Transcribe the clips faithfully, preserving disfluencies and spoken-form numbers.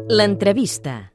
L'entrevista.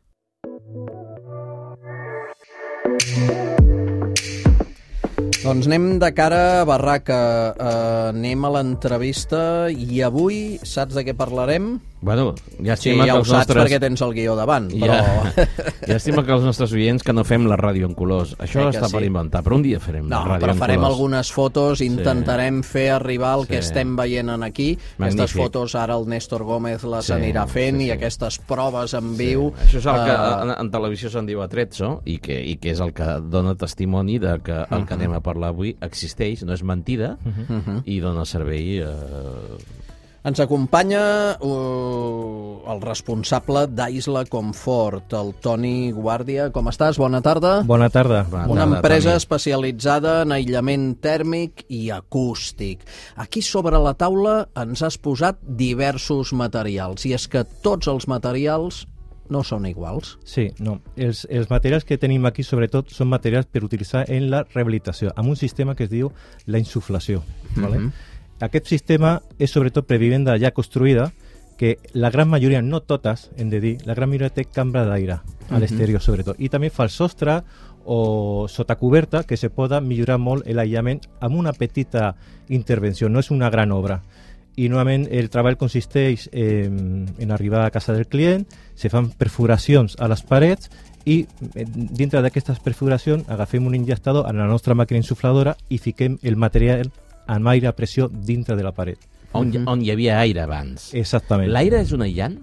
Doncs anem de cara a barraca, uh, anem a l'entrevista i avui saps de què parlarem? Bueno, ja Sí, estima ja que ho els saps nostres... perquè tens el guió davant, però... Ja, ja estima que els nostres oients que no fem la ràdio en colors. Això Eh que està sí. per inventar, però un dia farem No, la ràdio però en farem colors. algunes fotos, intentarem fer arribar el que Sí. estem veient en aquí. Aquestes Magnífic. fotos ara el Néstor Gómez les Sí, anirà fent sí, sí. i aquestes proves en viu... Sí. Això és el que eh, en, en televisió se'n diu atrezzo i que, i que és el que dona testimoni de que el que anem a parlar avui existeix, no és mentida, uh-huh. i dona servei... Eh... Ens acompanya uh, el responsable d'Isla Comfort, el Toni Guàrdia. Com estàs? Bona tarda. Bona tarda. Bona Una tarda, empresa Toni. especialitzada en aïllament tèrmic i acústic. Aquí sobre la taula ens has posat diversos materials, i és que tots els materials no són iguals. Sí, no. Els, els materials que tenim aquí, sobretot, són materials per utilitzar en la rehabilitació, amb un sistema que es diu la insuflació. ¿vale? Mhm. Aquest sistema és sobretot per vivenda ja construïda, que la gran majoria, no totes, hem de dir, la gran majoria té cambra d'aire a l'exterior, sobretot. I també fa el sostre o sota coberta, que se pot millorar molt l'aïllament amb una petita intervenció, no és una gran obra. I normalment el treball consisteix en, en arribar a casa del client, se fan perforacions a les parets i eh, dintre d'aquestes perforacions agafem un injectador a la nostra màquina insufladora i fiquem el material amb aire a pressió dintre de la paret. On, hi- on hi havia aire abans. Exactament. L'aire és un aïllant?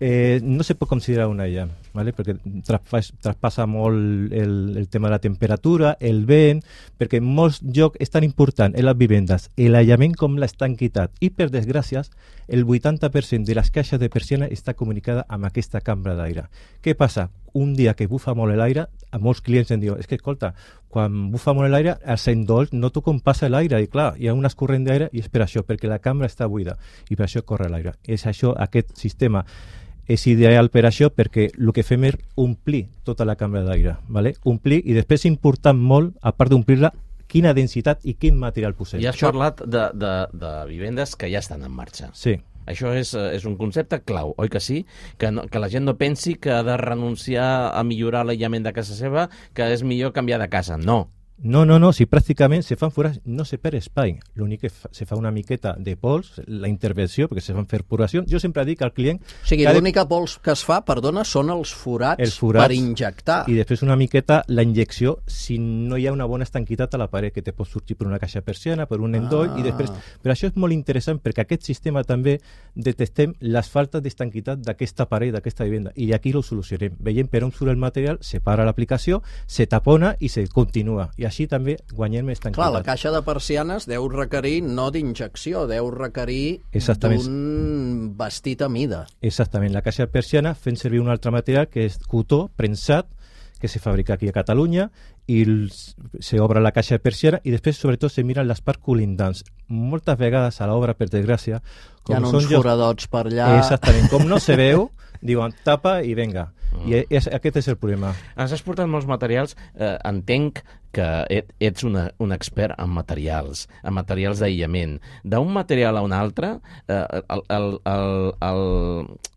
Eh, no se pot considerar un aïllant, ¿vale? perquè traspas, traspassa molt el, el tema de la temperatura, el vent, perquè en molts llocs és tan important en les vivendes l'aïllament com l'estanquitat. I per desgràcies, el vuitanta per cent de les caixes de persiana està comunicada amb aquesta cambra d'aire. Què passa? Un dia que bufa molt l'aire, a molts clients em diuen, és que escolta, quan bufa molt l'aire, als endolls noto com passa l'aire, i clar, hi ha un escorrent d'aire i és per això, perquè la cambra està buida, i per això corre l'aire. És això, aquest sistema és ideal per això, perquè el que fem és omplir tota la cambra d'aire, ¿vale? Omplir, i després és important molt, a part d'omplir-la, quina densitat i quin material posem. I has parlat de, de, de vivendes que ja estan en marxa. Sí. Això és, eh, és un concepte clau, oi que sí? Que, no, que la gent no pensi que ha de renunciar a millorar l'aïllament de casa seva, que és millor canviar de casa. No. No, no, no, si pràcticament se fan forats, no se perd espai. L'únic que fa, se fa una miqueta de pols, la intervenció, perquè se fan perforacions. Jo sempre dic al client... O sigui, que ha de- l'única pols que es fa, perdona, són els forats, Els forats per injectar. I després una miqueta la injecció si no hi ha una bona estanquitat a la paret, que te pot sortir per una caixa persiana, per un endoll, Ah. i després... Però això és molt interessant perquè aquest sistema també detectem les faltes d'estanquitat d'aquesta paret, d'aquesta vivenda, i aquí ho solucionem. Veiem per on surt el material, se para l'aplicació, se tapona i se continua. I així també guanyem estanquitat. Clar, la caixa de persianes deu requerir no d'injecció, deu requerir Exactament. d'un vestit a mida. Exactament, la caixa persiana fent servir un altre material que és cotó prensat, que se fabrica aquí a Catalunya, i els, se obre la caixa persiana i després sobretot se miren les parts colindants. Moltes vegades a l'obra, per desgràcia, Hi ha uns són llocs- foradots per allà. Exactament, com no se veu, diuen tapa i venga. I és, aquest és el problema. Ens has portat molts materials. Eh, entenc que et, ets una, un expert en materials, en materials d'aïllament. D'un material a un altre, eh, el, el, el, el,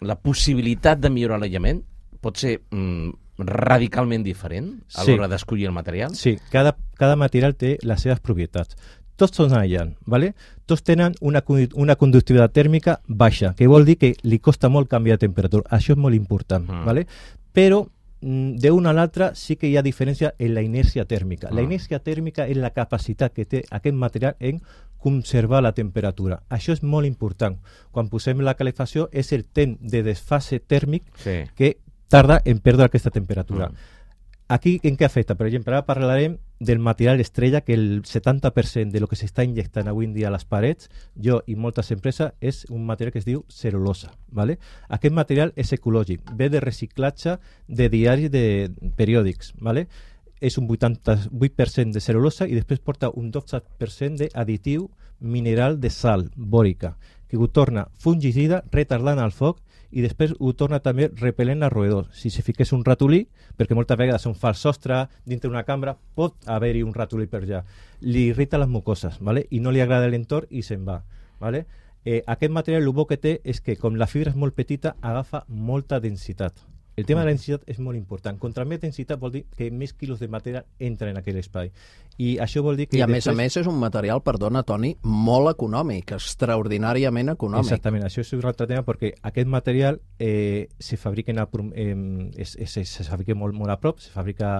la possibilitat de millorar l'aïllament pot ser mm, radicalment diferent a Sí. l'hora d'escollir el material? Sí, cada, cada material té les seves propietats. Tots són aïllants, ¿vale? Tots tenen una, condu- una conductivitat tèrmica baixa, que vol dir que li costa molt canviar de temperatura. Això és molt important, Mm. ¿vale? Però mm, d'una a l'altra sí que hi ha diferència en la inèrcia tèrmica. La Mm. inèrcia tèrmica és la capacitat que té aquest material en conservar la temperatura. Això és molt important. Quan posem la calefacció és el temps de desfase tèrmic Sí. que tarda en perdre aquesta temperatura. Mm. Aquí, en què afecta? Per exemple, ara parlarem del material estrella, que el setanta per cent de lo que s'està injectant avui en dia a les parets, jo i moltes empreses, és un material que es diu cel·lulosa. ¿vale? Aquest material és ecològic, ve de reciclatge de diaris de periòdics. ¿vale? És un vuitanta-vuit per cent de cel·lulosa i després porta un dotze per cent d'additiu mineral de sal bòrica, que ho torna fungicida, retardant el foc, i després ho torna també repel·lent als roedors. Si se fiqués un ratolí, perquè moltes vegades on fa el sostre dintre d'una cambra, pot haver-hi un ratolí per allà. Li irrita les mucoses, ¿vale? I no li agrada l'entorn i se'n va. ¿vale? Eh, aquest material el bo que té és que, com la fibra és molt petita, agafa molta densitat. El tema de la densitat és molt important. Contra més densitat vol dir que més quilos de material entren en aquell espai. I això vol dir que... I a després... més a més és un material, perdona, Toni, molt econòmic, extraordinàriament econòmic. Exactament, això és un altre tema perquè aquest material eh, se fabrica, en el, eh, es, es, se fabrica molt, molt a prop, se fabrica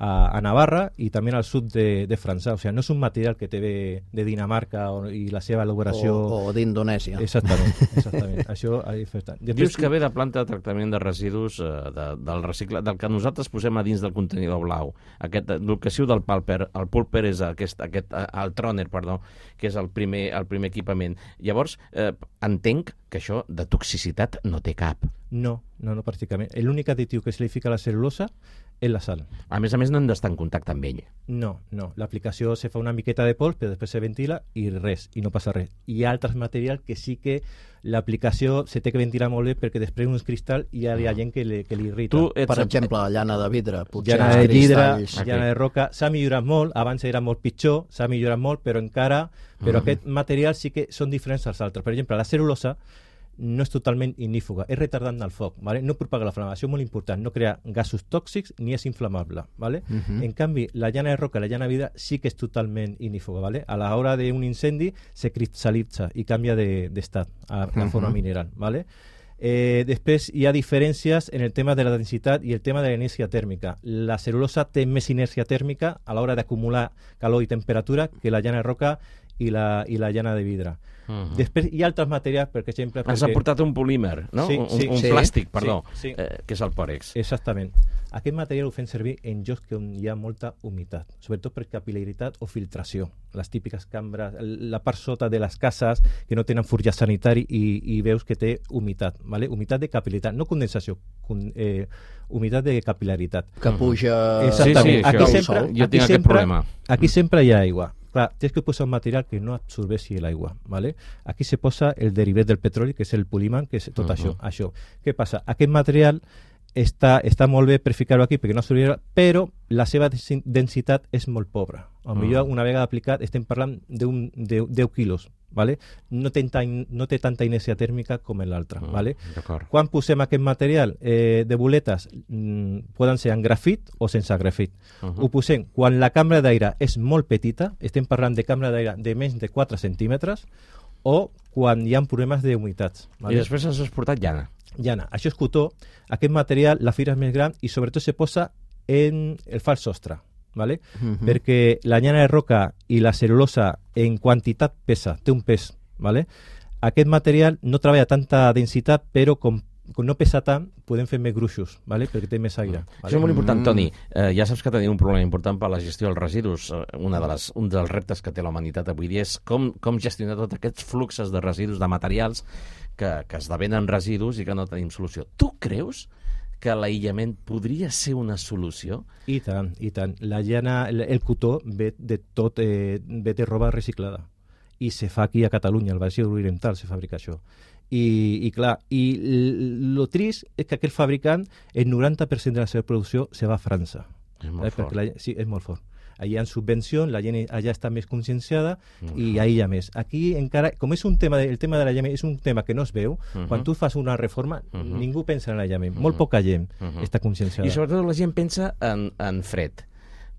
a, a Navarra i també al sud de, de França. O sigui, no és un material que té de, de Dinamarca o, i la seva elaboració... O, o d'Indonèsia. Exactament, exactament. Això és important. Dius que ve de planta de tractament de residus eh, de, del recicle, del que nosaltres posem a dins del contenidor blau. Aquest, el que siu del pulper, el pulper és aquest, aquest, el tròner, perdó, que és el primer, el primer equipament. Llavors, eh, entenc que això de toxicitat no té cap. No, no, no pràcticament. L'únic additiu que se li fica a la cel·lulosa és la sal. A més a més, no hem d'estar en contacte amb ell. No, no. L'aplicació se fa una miqueta de pols, però després se ventila i res, i no passa res. Hi ha altres materials que sí que l'aplicació se té que ventilar molt bé perquè després uns cristall i hi ha, hi ha gent que li, que li irrita. Tu ets... Per exemple, llana de vidre, potser llana els de vidre, cristalls. llana de roca, s'ha millorat molt, abans era molt pitjor, s'ha millorat molt, però encara, però Mm. aquest material sí que són diferents als altres. Per exemple, la cel·lulosa no és totalment ignífuga, és retardant del foc, ¿vale? No propaga la flama, això és molt important, no crea gasos tòxics ni és inflamable, ¿vale? Uh -huh. En canvi, la llana de roca, la llana de vidre sí que és totalment ignífuga, ¿vale? A l'hora d'un incendi se cristal·litza i canvia d'estat de, a la forma uh -huh. mineral, ¿vale? Eh, després hi ha diferències en el tema de la densitat i el tema de la inèrcia tèrmica. La cel·lulosa té més inèrcia tèrmica a l'hora d'acumular calor i temperatura que la llana de roca i la, i la llana de vidre. Uh -huh. Després hi ha altres materials, per exemple... Ens perquè... ha portat un polímer, no? Sí, un sí, un sí. plàstic, perdó, Sí, sí. Eh, que és el pòrex. Exactament. Aquest material ho fem servir en llocs on hi ha molta humitat, sobretot per capil·laritat o filtració. Les típiques cambres, la part sota de les cases que no tenen forjat sanitari i, i veus que té humitat, ¿vale? Humitat de capil·laritat, no condensació, con, eh, humitat de capil·laritat. Que puja... Exactament. Sí, sí, aquí això, sempre, jo aquí tinc aquest sempre, problema. Aquí sempre hi ha aigua. Clar, tens que posar un material que no absorbeixi l'aigua, ¿vale? Aquí se posa el derivat del petroli, que és el polímer, que és tot uh -huh. això, això. Què passa? Aquest material està, està molt bé per ficar-ho aquí perquè no absorbirà, però la seva densitat és molt pobra. A lo millor, una vegada aplicat, estem parlant d'un deu quilos, ¿vale? No té, tan, no té tanta inèrcia tèrmica com l'altra, Mm, ¿vale? Quan posem aquest material eh, de boletes, mm, poden ser en grafit o sense grafit. Uh -huh. Ho posem quan la cambra d'aire és molt petita, estem parlant de cambra d'aire de menys de quatre centímetres, o quan hi ha problemes d'humitats. ¿vale? I després ens has portat llana. Llana, això és cotó, aquest material, la fibra és més gran i sobretot se posa en el fals sostre, ¿vale? Uh-huh. Perquè la llana de roca i la cel·lulosa en quantitat pesa, té un pes, ¿vale? Aquest material no treballa tanta densitat, però com, com no pesa tant, podem fer més gruixos, ¿vale? Perquè té més aire. Mm. ¿vale? Això és molt important, Toni. Eh, ja saps que tenim un problema important per la gestió dels residus. Eh, una de les, un dels reptes que té la humanitat avui dia és com, com gestionar tots aquests fluxos de residus, de materials que, que esdevenen residus i que no tenim solució. Tu creus que l'aïllament podria ser una solució? I tant, i tant. La llana, el, el cotó ve de tot, eh, ve de roba reciclada. I se fa aquí a Catalunya, al Baix Oriental se fabrica això. I, i clar, i el trist és que aquest fabricant, el noranta per cent de la seva producció se va a França. És molt eh? fort. La, sí, és molt fort. Allà hi ha subvenció, la gent allà està més conscienciada uh-huh. i allà hi ha més. Aquí encara, com és un tema, de, el tema de l'aïllament és un tema que no es veu, uh-huh. quan tu fas una reforma, uh-huh. ningú pensa en l'aïllament. Uh-huh. Molt poca gent uh-huh. està conscienciada. I sobretot la gent pensa en, en fred.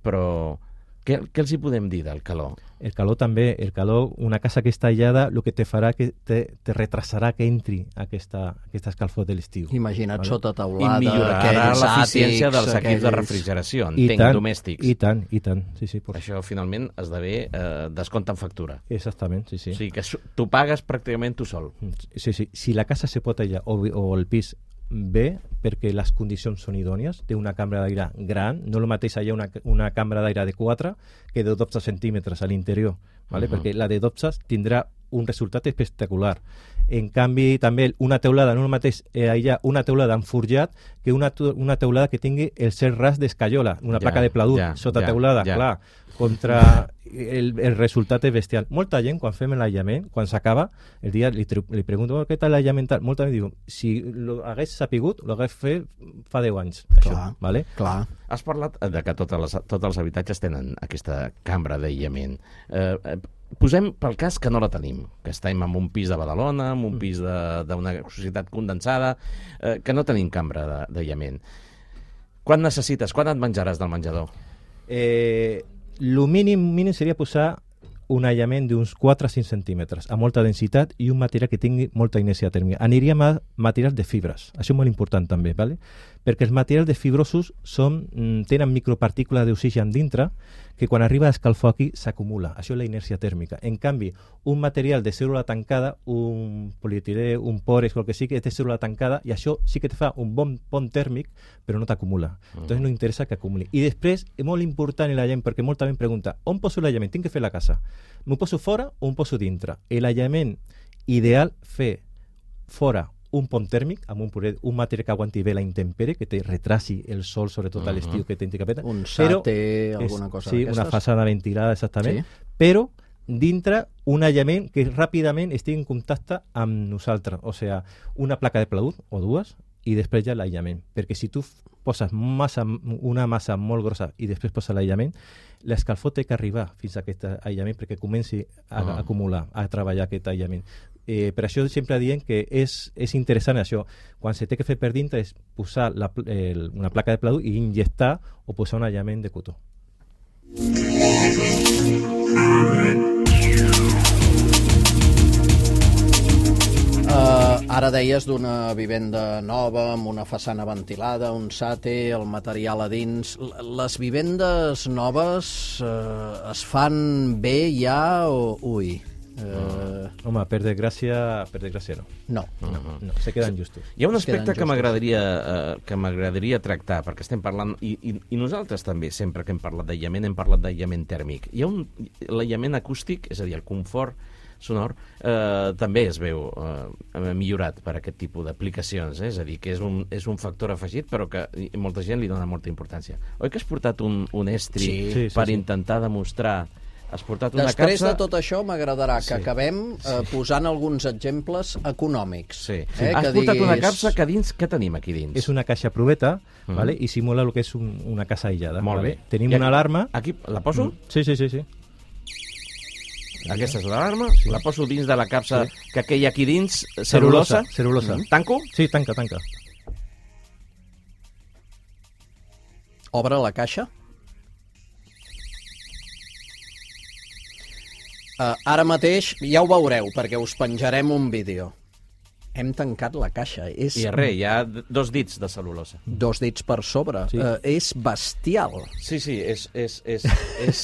Però què, què els hi podem dir del calor? El calor també, el calor, una casa que està aïllada, el que te farà que te, te retrasarà que entri aquesta, aquesta escalfor de l'estiu. Imagina't vale? Sota I teulada, millorarà l'eficiència dels equips aquells... de refrigeració, I entenc, tant, domèstics. I tant, i tant. Sí, sí, por... Això finalment esdevé eh, descompte en factura. Exactament, sí, sí. O sigui que tu pagues pràcticament tu sol. Sí, sí. Si la casa se pot aïllar o, o el pis bé, perquè les condicions són idònies, té una cambra d'aire gran, no el mateix allà una, una cambra d'aire de quatre que de dotze centímetres a l'interior, ¿vale? Uh-huh. Perquè la de dotze tindrà un resultat espectacular. En canvi, també una teulada, no el mateix eh, aïllar una teulada amb forjat que una, una teulada que tingui el cel ras d'escaiola, una ja, placa de pladur ja, sota ja, teulada, ja. Clar, contra el, el resultat és bestial. Molta gent, quan fem l'aïllament, quan s'acaba, el dia li, li pregunto oh, què tal l'aïllament? Molta gent diu, si lo hagués sapigut, lo hagués fet fa deu anys. Això, clar, vale? clar. Has parlat de que totes les, tots els habitatges tenen aquesta cambra d'aïllament. Eh, posem pel cas que no la tenim, que estem en un pis de Badalona, en un pis d'una societat condensada, eh, que no tenim cambra d'aïllament. Quan necessites? Quan et menjaràs del menjador? Eh, lo mínim, mínim seria posar un aïllament d'uns quatre a cinc centímetres, amb molta densitat i un material que tingui molta inèrcia tèrmica. Aniríem a materials de fibres, això és molt important també, ¿vale? Perquè els materials de fibrosos són, tenen micropartícules d'oxigen dintre que quan arriba a escalfor aquí s'acumula. Això és la inèrcia tèrmica. En canvi, un material de cèl·lula tancada, un polietilè, un pores, qualque sí que és de cèl·lula tancada, i això sí que te fa un bon pont tèrmic, però no t'acumula. Uh-huh. Entonces no interessa que acumuli. I després, és molt important l'aïllament, perquè molta gent pregunta, on poso l'aïllament? Tinc que fer la casa. M'ho poso fora o em poso dintre? L'aïllament ideal fer fora un pont tèrmic amb un, puret, un material que aguanti bé la intempèrie, que te retrasi el sol, sobretot a l'estiu, que tens capeta. Un sate, alguna cosa sí, d'aquestes. Una façana ventilada, exactament. Sí. Però dintre un aïllament que ràpidament estigui en contacte amb nosaltres. O sigui, una placa de pladur, o dues, i després ja l'aïllament. Perquè si tu poses massa, una massa molt grossa i després poses l'aïllament, l'escalfor té que arribar fins a aquest aïllament perquè comenci a, a acumular, a treballar aquest aïllament. Eh, per això sempre diem que és, és interessant això. Quan se té que fer per dintre és posar la, el, una placa de pladur i injectar o posar un aïllament de cotó. Uh, ara deies d'una vivenda nova, amb una façana ventilada, un sate, el material a dins. Les vivendes noves uh, es fan bé ja o... Ui... Uh... Home, per desgràcia, per desgràcia no. No. No, no, se queden justos. Hi ha un aspecte que m'agradaria eh, que m'agradaria tractar, perquè estem parlant, i, i, i nosaltres també, sempre que hem parlat d'aïllament, hem parlat d'aïllament tèrmic. Hi ha un l'aïllament acústic, és a dir, el confort sonor, eh, també es veu eh, millorat per aquest tipus d'aplicacions, eh? És a dir, que és un, és un factor afegit, però que molta gent li dona molta importància. Oi que has portat un, un estri sí, sí, sí, per sí. intentar demostrar... Has portat una Després capsa... de tot això m'agradarà que sí. acabem eh, posant alguns exemples econòmics. Sí. Eh, Has que portat diguis... una capsa que dins... Què tenim aquí dins? És una caixa proveta, Mm. ¿vale? I simula el que és un, una casa aïllada. Molt ¿vale? bé. Tenim I una aquí- alarma... Aquí la poso? Mm. Sí, sí, sí, sí. Aquesta és l'alarma, la poso dins de la capsa Sí. que aquella aquí dins, cel·lulosa. Cel·lulosa. Mm. Tanco? Sí, tanca, tanca. Obre la caixa. Uh, ara mateix ja ho veureu, perquè us penjarem un vídeo. Hem tancat la caixa. És I res, hi ha dos dits de cel·lulosa. dos dits per sobre. Sí. Uh, és bestial. Sí, sí, és... és, és, és...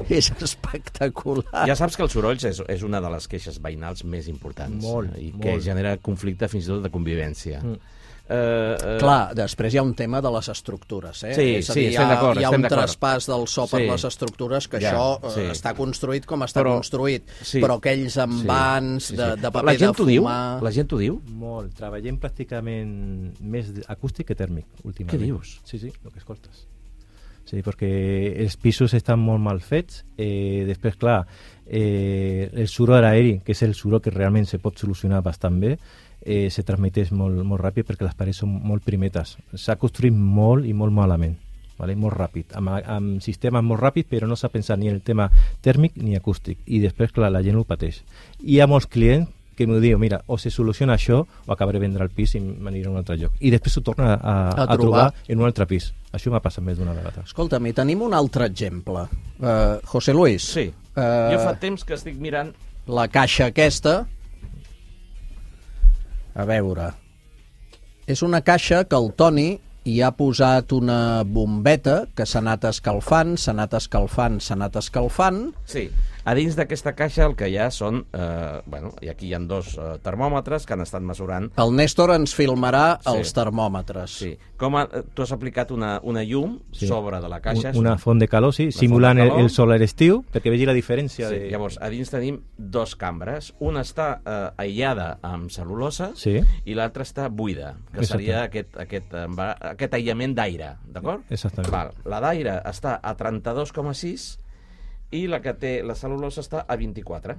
És espectacular. Ja saps que els sorolls és, és una de les queixes veïnals més importants. Molt, I que molt. genera conflicte fins i tot de convivència. Mm. Uh, uh, Clar, després hi ha un tema de les estructures, eh? Sí, és a sí, dir, estem hi ha, d'acord, hi ha estem un d'acord. traspàs del so per Sí. les estructures, que Ja, això eh, sí. està construït com està Però- construït, sí. però aquells envans Sí, sí, de, sí. de paper la gent de t'ho diu? fumar... La gent t'ho diu? Molt. Treballem pràcticament més acústic que tèrmic, últimament. Què dius? Sí, sí, el que escoltes. Sí, perquè els pisos estan molt mal fets. Eh, després, clar, eh, el soroll aeri, que és el soroll que realment se pot solucionar bastant bé, eh, se transmeteix molt, molt ràpid perquè les parets són molt primetes. S'ha construït molt i molt malament, vale? Molt ràpid, amb, amb sistemes molt ràpids, però no s'ha pensat ni en el tema tèrmic ni acústic. I després, clar, la gent ho pateix. I hi ha molts clients que m'ho diuen, mira, o se soluciona això o acabaré de vendre el pis i m'aniré a un altre lloc. I després s'ho torna a, a, A a trobar trobar. en un altre pis. Això m'ha passat més d'una vegada. Escolta'm, i tenim un altre exemple. Uh, José Luis. Sí. Uh, Jo fa temps que estic mirant... La caixa aquesta... A veure... És una caixa que el Toni hi ha posat una bombeta que s'ha anat escalfant, s'ha anat escalfant, s'ha anat escalfant... Sí, a dins d'aquesta caixa el que hi ha són... Eh, bueno, i aquí hi ha dos eh, termòmetres que han estat mesurant. El Néstor ens filmarà Sí. els termòmetres. Sí. Com a, tu has aplicat una, una llum Sí. sobre de la caixa. Un, una font de calor, sí, Una simulant font de el, calor. el sol a l'estiu, perquè vegi la diferència Sí, de... llavors, a dins tenim dos cambres. Una està eh, aïllada amb cel·lulosa Sí. i l'altra està buida, que Exacte. seria aquest, aquest, emba- aquest aïllament d'aire, d'acord? Exactament. Val. La d'aire està a trenta-dos coma sis i la que té la cel·lulosa està a vint-i-quatre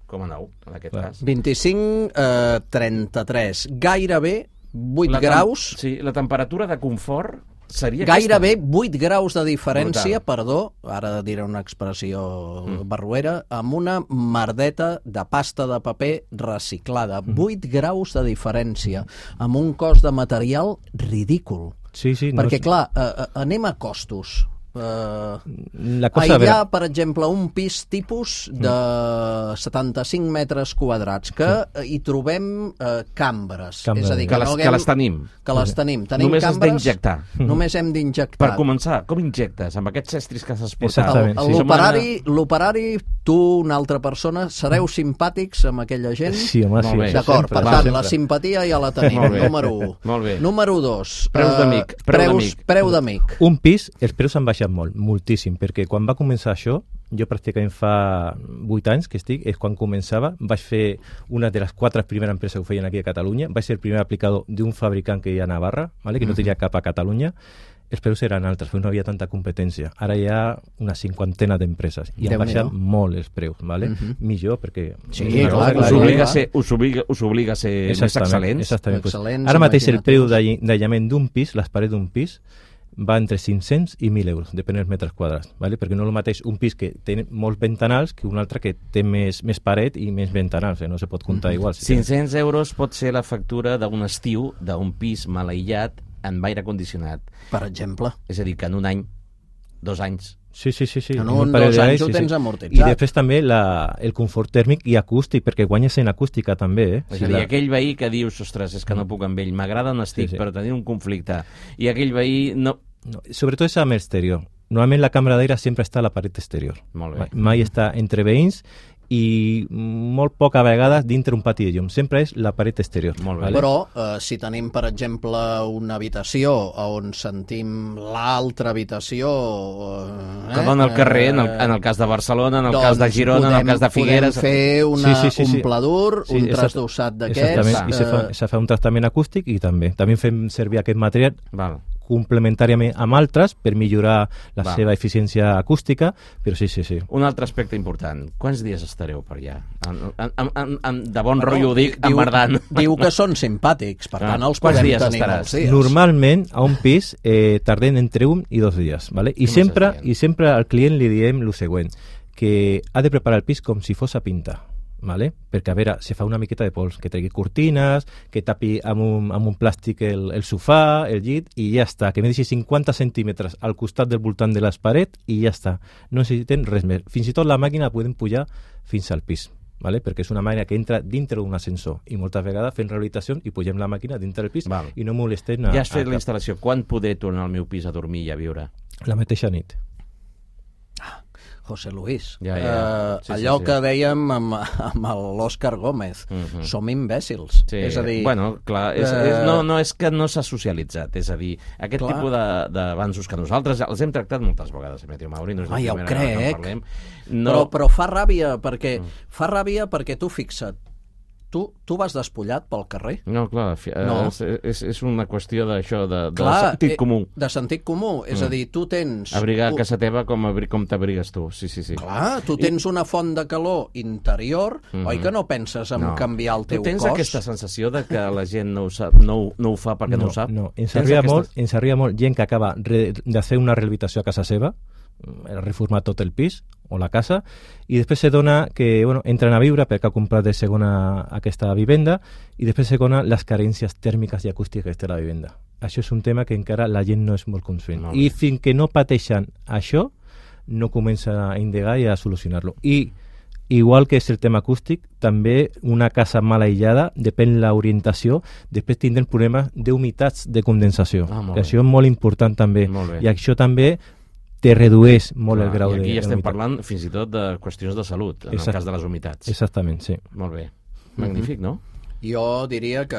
coma nou, en aquest Clar. cas. vint-i-cinc, eh, trenta-tres. Gairebé vuit La tem- graus. Sí, la temperatura de confort seria gairebé aquesta? vuit graus de diferència, Brutal. perdó, ara diré una expressió mm. barruera, amb una merdeta de pasta de paper reciclada. Mm. vuit graus de diferència, amb un cost de material ridícul. Sí, sí, Perquè, no, clar, eh, anem a costos. Uh, la cosa, aïllar, per exemple, un pis tipus de setanta-cinc metres quadrats, que hi trobem uh, cambres. Cambres. És a dir, Que que, les, no que haguem... les tenim. Que les tenim. Tenim Només has cambres, d'injectar. Només hem d'injectar. Per començar, com injectes? Amb aquests estris que s'has portat? Exactament, El- sí. L'operari, l'operari, tu, una altra persona, sereu simpàtics amb aquella gent? Sí, home, Molt sí. bé. D'acord, sempre, per tant, sempre. la simpatia ja la tenim, Molt bé. número un. Molt bé. Número dos. Preus eh, d'amic, preu preus- d'amic. Preu d'amic. Un pis, els preus han baixat molt, moltíssim, perquè quan va començar això, jo pràcticament fa vuit anys que estic, és quan començava, vaig fer una de les quatre primeres empreses que ho feien aquí a Catalunya, vaig ser el primer aplicador d'un fabricant que hi ha a Navarra, ¿vale? Que no tenia cap a Catalunya, els preus eren altres, perquè no havia tanta competència. Ara hi ha una cinquantena d'empreses i han Déu-n'hi-do. baixat molt els preus, ¿vale? Mhm. Millor, perquè... Sí, una clar, cosa Us clar, obliga, a clar. ser, us, obliga, us obliga a ser més excel·lents? Exactament. Pues, Excel·lents, ara mateix el preu imaginatius. d'aï- d'aïllament d'un pis, les parets d'un pis, va entre cinc-cents i mil euros, depèn dels metres quadrats, ¿vale? Perquè no és el mateix un pis que té molts ventanals que un altre que té més, més paret i més ventanals, eh? No se pot comptar igual. Si cinc-cents euros pot ser la factura d'un estiu d'un pis mal aïllat amb aire condicionat. Per exemple. És a dir, que en un any, dos anys... Sí, sí, sí. sí. En un un, parell dos d'anys, anys ho sí, tens sí. amortitzat. I després també la, el confort tèrmic i acústic, perquè guanyes en acústica també, eh? És Si a dir, la... aquell veí que dius, ostres, és que no puc amb ell, m'agrada on estic, Sí, sí. però tenir un conflicte. I aquell veí no... No, sobretot és amb l'exterior. Normalment la càmera d'aire sempre està a la paret exterior. Molt bé. Mai està entre veïns i molt poca vegades dintre un pati de llum. Sempre és la paret exterior. Molt bé. Però eh, si tenim, per exemple, una habitació on sentim l'altra habitació... Eh, Que dona al carrer, en el, en el cas de Barcelona, en el doncs cas de Girona, en el cas de Figueres... Podem fer una, Sí, sí, sí, sí. un pladur, Sí, un exact- trasdossat d'aquests... Exactament, i se fa, eh, se fa un tractament acústic i també. També fem servir aquest material Val. complementàriament amb altres per millorar la Va. seva eficiència acústica, però sí, sí, sí. Un altre aspecte important. Quants dies estareu per allà? En, en, en, en, en, de bon bueno, rotllo ho dic, diu- emmerdant. Diu que són simpàtics, per Ah, tant els quants podem dies tenir estaràs? molts dies. Normalment a un pis eh, tardem entre un i dos dies, ¿vale? I Com sempre, estàs dient? i sempre al client li diem el següent, que ha de preparar el pis com si fos a pintar, ¿vale? Perquè, a veure, se fa una miqueta de pols, que tregui cortines, que tapi amb un, amb un plàstic el, el sofà, el llit, i ja està, que me deixi cinquanta centímetres al costat del voltant de les parets i ja està. No necessiten res més. Fins i tot la màquina la podem pujar fins al pis, ¿vale? Perquè és una màquina que entra dintre d'un ascensor i moltes vegades fem rehabilitació i pugem la màquina dintre del pis Val. i no molestem a, Ja has fet a la cap. instal·lació. Quan poder tornar al meu pis a dormir i a viure? La mateixa nit. José Luis, Ja, ja. eh, Sí, sí, allò sí. que dèiem amb, amb l'Òscar Gómez, Mhm. som imbècils. Sí, És a dir, bueno, clar, és, eh, és, no, no és que no s'ha socialitzat, és a dir, aquest Clar. tipus de- d'avanços que nosaltres els hem tractat moltes vegades, Emetrio Mauri, no és la Ah, ja ho primera vegada que en crec. parlem. però, No, però fa ràbia perquè, Mm. fa ràbia perquè tu fixa't, tu, tu vas despullat pel carrer. no, clar, fi- eh, No. És, és, és una qüestió d'això, de, de Clar, sentit eh, comú. De sentit comú, és Mm. a dir, tu tens... Abrigar a u- casa teva com, abri, com t'abrigues tu, sí, sí, sí. Clar, tu tens una font de calor interior, Mhm. oi que no penses en canviar el teu tu tens cos? aquesta sensació de que la gent no ho, sap, no, ho- no ho fa perquè no, ho sap? No, ens Tens arriba, aquesta- molt, ens arriba molt gent que acaba re, de fer una rehabilitació a casa seva, eh, reformar tot el pis o la casa, i després se dona que bueno, entren a viure perquè ha comprat de segona aquesta vivenda i després se dona les carències tèrmiques i acústiques que té la vivenda. Això és un tema que encara la gent no és molt conscient. Molt I bé. fins que no pateixen això, no comença a indagar i a solucionar-lo. I igual que és el tema acústic, també una casa mal aïllada, depèn l'orientació, després tindrem problemes d'humitats de condensació. Ah, molt I bé. això és molt important també. Molt bé. I això també te redueix molt Clar, el grau I aquí de ja estem d'humitat. parlant fins i tot de qüestions de salut, en Exacte. el cas de les humitats. Exactament, sí. Molt bé. Magnífic, no? Jo diria que...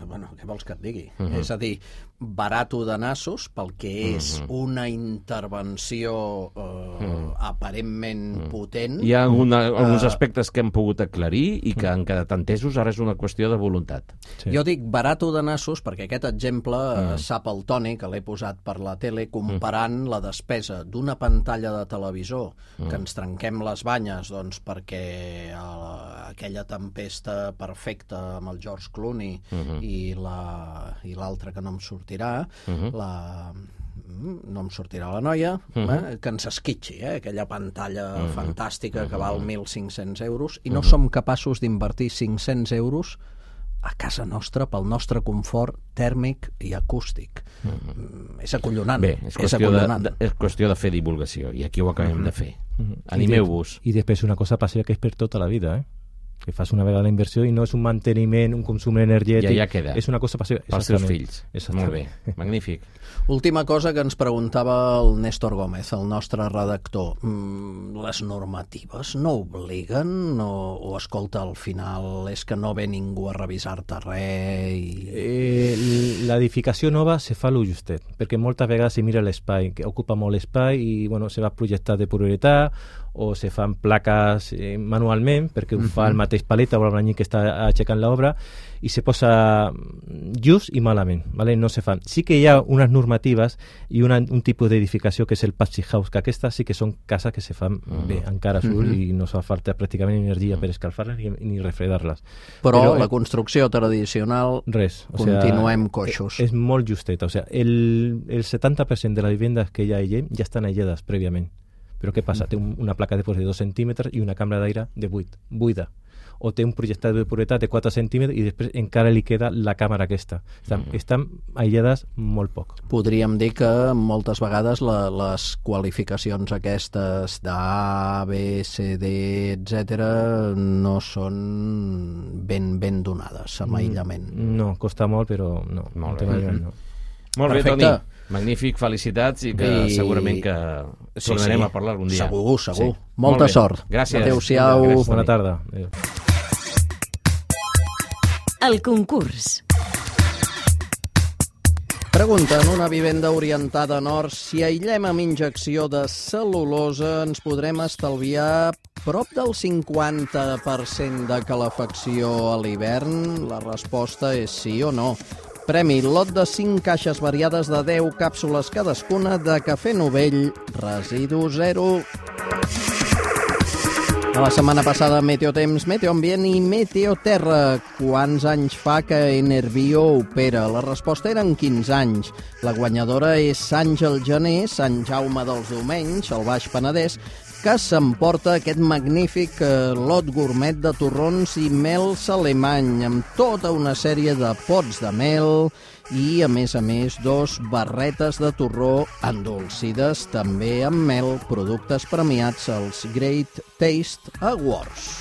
Bueno, què vols que et digui? Mhm. És a dir, barato de nassos pel que és Mhm. una intervenció eh, Mhm. aparentment potent. Hi ha alguna, alguns Eh, aspectes que hem pogut aclarir i que han quedat entesos, ara és una qüestió de voluntat. sí. Jo dic barato de nassos perquè aquest exemple Mm. eh, sap el Toni, que l'he posat per la tele, comparant la despesa d'una pantalla de televisor Mm. que ens trenquem les banyes doncs, perquè eh, aquella tempesta perfecta amb el George Clooney uh-huh. i la i l'altra que no em sortirà, uh-huh. la... no em sortirà la noia, uh-huh. eh, que ens esquitxi, eh, aquella pantalla uh-huh. fantàstica que val mil cinc-cents euros, i no uh-huh. som capaços d'invertir cinc-cents euros a casa nostra pel nostre confort tèrmic i acústic. Mm. És acollonant. Bé, és qüestió, és acollonant. De, de, és qüestió de fer divulgació, i aquí ho acabem mm-hmm. de fer. Mm-hmm. Animeu-vos. I, de, I després una cosa passiva que és per tota la vida, eh? Que fas una vegada la inversió i no és un manteniment, un consum energètic. Ja, ja queda. És una cosa passiva. Pels seus fills. Molt bé, magnífic. Última cosa que ens preguntava el Néstor Gómez, el nostre redactor. Mm, les normatives no obliguen o, o escolta, al final és que no ve ningú a revisar-te res? I... Eh, l'edificació nova se fa lo justet, perquè moltes vegades se mira l'espai, que ocupa molt espai i bueno, se va projectar de prioritat o se fan plaques eh, manualment perquè ho fa el mateix paleta o l'any que està aixecant l'obra i se posa just i malament, ¿vale? No se fan. Sí que hi ha unes normatives i una, un tipus d'edificació que és el patchy house, que aquestes sí que són cases que se fan uh-huh. bé, encara surt uh-huh. i no fa falta pràcticament energia uh-huh. per escalfar-les ni, ni refredar-les. Però, Però la eh, construcció tradicional res, o continuem sea, coixos. És, és molt justeta, o sea, el, el setanta per cent de les vivendes que hi ha allà ja estan aïllades prèviament. Però què passa? Té un, una placa de pols de dos centímetres i una cambra d'aire de vuit, buida. O té un projectat de propietat de quatre centímetres i després encara li queda la càmera aquesta. Estan, mm. estan aïllades molt poc. Podríem dir que moltes vegades la, les qualificacions aquestes d'A, B, C, D, etcètera no són ben, ben donades amb aïllament. No, costa molt, però no. Molt bé. Mm-hmm. No. Molt Perfecte. bé, Toni. Magnífic, felicitats i que I... segurament que tornarem sí, sí. a parlar algun dia. Segur, segur. Sí. Molta Molt sort. Gràcies. Adéu-siau. Gràcies, bona tarda. Adéu. El concurs. Pregunta, en una vivenda orientada a nord, si aïllem amb injecció de cel·lulosa ens podrem estalviar prop del cinquanta per cent de calefacció a l'hivern? La resposta és sí o no. Premi, lot de cinc caixes variades de deu càpsules cadascuna de cafè Novell, residu zero. A la setmana passada, Meteotemps, Meteoambient i Meteoterra. Quants anys fa que Enerbio opera? La resposta eren quinze anys. La guanyadora és Àngel Gené, Sant Jaume dels Domenys, al Baix Penedès, que s'emporta aquest magnífic eh, lot gourmet de torrons i mels alemany, amb tota una sèrie de pots de mel i, a més a més, dos barretes de torró endolcides també amb mel, productes premiats als Great Taste Awards.